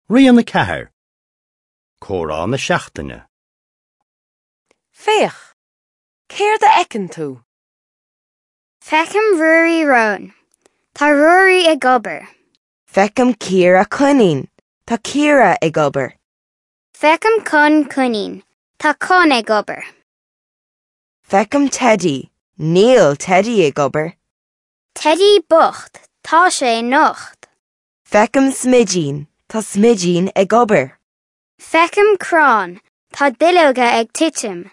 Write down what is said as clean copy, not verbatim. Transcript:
Rian 4, Comhrá na Seachtaine. Féach! Céard a fheiceann tú? Feicim Ruairí Rón. Tá Ruairí ag obair. Feicim Ciara Coinín. Tá Ciara ag obair. Feicim Con Coinín. Tá Con ag obair. Feicim Teidí. Níl Teidí ag obair. Teidí bocht, tá sé nocht. Feicim Smidín. Tá Smidín ag obair. Feicim crann. Tá duilleoga ag titim.